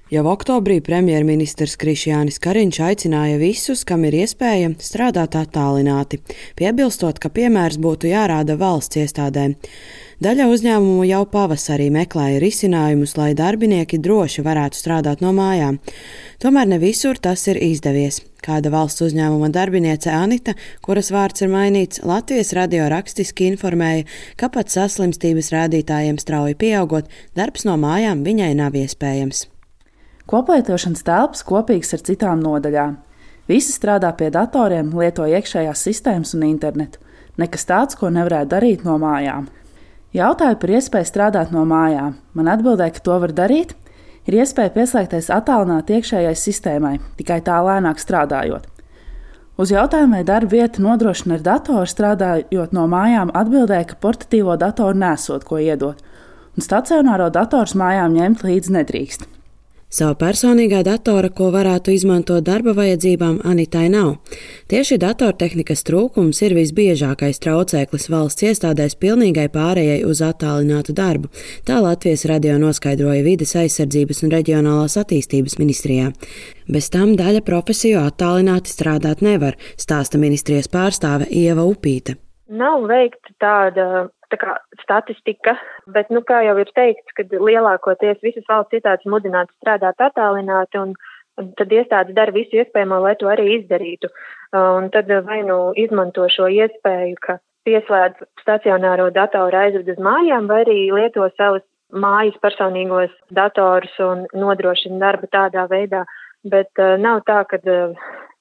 Jau oktobrī premjerministrs Krišjānis Kariņš aicināja visus, kam ir iespēja, strādāt attālināti, piebilstot, ka piemērs būtu jārāda valsts iestādēm. Daļa uzņēmumu jau pavasarī meklēja risinājumus, lai darbinieki droši varētu strādāt no mājām. Tomēr ne visur tas ir izdevies. Kāda valsts uzņēmuma darbiniece Anita, kuras vārds ir mainīts, Latvijas radio rakstiski informēja, ka pat saslimstības rādītājiem strauji pieaugot, darbs no mājām viņai nav iespējams. Koplietošanas telpas kopīgas ar citām nodaļām. Visi strādā pie datoriem, lieto iekšējās sistēmas un internetu. Nekas tāds, ko nevarētu darīt no mājām. Jautāju par iespēju strādāt no mājām. Man atbildēja, ka to var darīt. Ir iespēja pieslēgties attālināti iekšējai sistēmai, tikai tā lēnāk strādājot. Uz jautājumu, vai darba vieta nodrošina ar datoru strādājot no mājām, atbildēja, ka portatīvo datoru nesot ko iedot, un stacionāro dators mājām ņemt līdzi nedrīkst. Sava personīgā datora, ko varētu izmantot darba vajadzībām, Anitai nav. Tieši datortehnikas trūkums ir visbiežākais traucēklis valsts iestādēs pilnīgai pārējai uz attālinātu darbu, tā Latvijas radio noskaidroja Vides aizsardzības un reģionālās attīstības ministrijā. Bez tam daļa profesiju attālināti strādāt nevar, stāsta ministrijas pārstāve Ieva Upīte. Nav veikta tāda statistika, bet, kā jau ir teikts, kad lielākoties visas valsts iestādes mudinātu strādāt attālināti, un tad iestādes dara visu iespējamo, lai to arī izdarītu. Un tad vai izmanto šo iespēju, ka pieslēdz stacionāro datoru aizved uz mājām, vai arī lieto savus mājas personīgos datorus un nodrošina darbu tādā veidā, bet nav tā, ka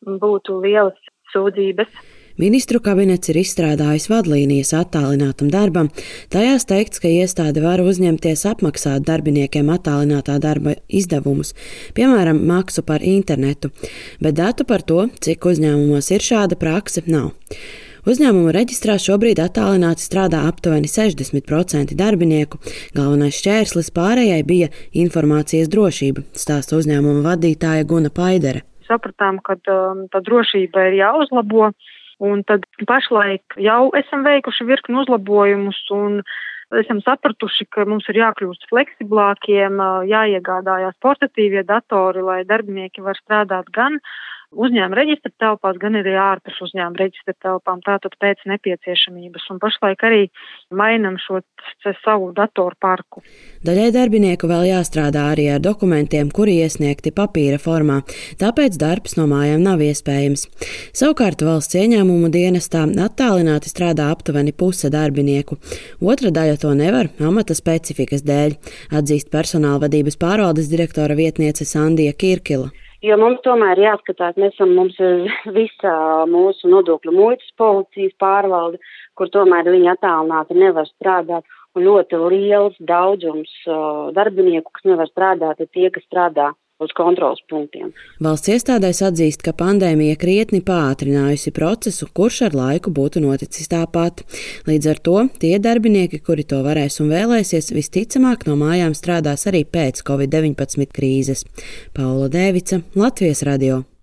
būtu lielas sūdzības. Ministru kabinets ir izstrādājis vadlīnijas attālinātam darbam. Tajās teikts, ka iestāde var uzņemties apmaksāt darbiniekiem attālinātā darba izdevumus, piemēram, maksu par internetu, bet datu par to, cik uzņēmumos ir šāda prakse, nav. Uzņēmuma reģistrā šobrīd attālināti strādā aptuveni 60% darbinieku. Galvenais šķērslis pārējai bija informācijas drošība, stāsta uzņēmuma vadītāja Guna Paidere. Sapratām, ka tā drošība ir jāuzlabo. Un tad pašlaik jau esam veikuši virkni uzlabojumus un esam sapratuši, ka mums ir jākļūst fleksiblākiem, jāiegādājās portatīvie datori, lai darbinieki var strādāt gan uzņēmuma reģistra telpās, gan arī ārpus uzņēmuma reģistra telpām, tātad pēc nepieciešamības. Un pašlaik arī mainam šo savu datoru parku. Daļai darbinieku vēl jāstrādā arī ar dokumentiem, kuri iesniegti papīra formā, tāpēc darbs no mājām nav iespējams. Savukārt valsts ieņēmumu dienestā attālināti strādā aptuveni puse darbinieku. Otra daļa to nevar amata specifikas dēļ, atzīst personālvadības pārvaldes direktora vietniece Sandija Kirkila. Jo mums tomēr jāskatās, mums ir visa mūsu nodokļu muitas policijas pārvalde, kur tomēr viņi attālināti nevar strādāt, un ļoti liels daudzums darbinieku, kas nevar strādāt, ir tie, kas strādā uz kontrolas punktiem. Valsts iestādēs atzīst, ka pandēmija krietni pātrinājusi procesu, kurš ar laiku būtu noticis tāpat. Līdz ar to tie darbinieki, kuri to varēs un vēlēsies, visticamāk no mājām strādās arī pēc Covid-19 krīzes. Paula Dēvica, Latvijas radio.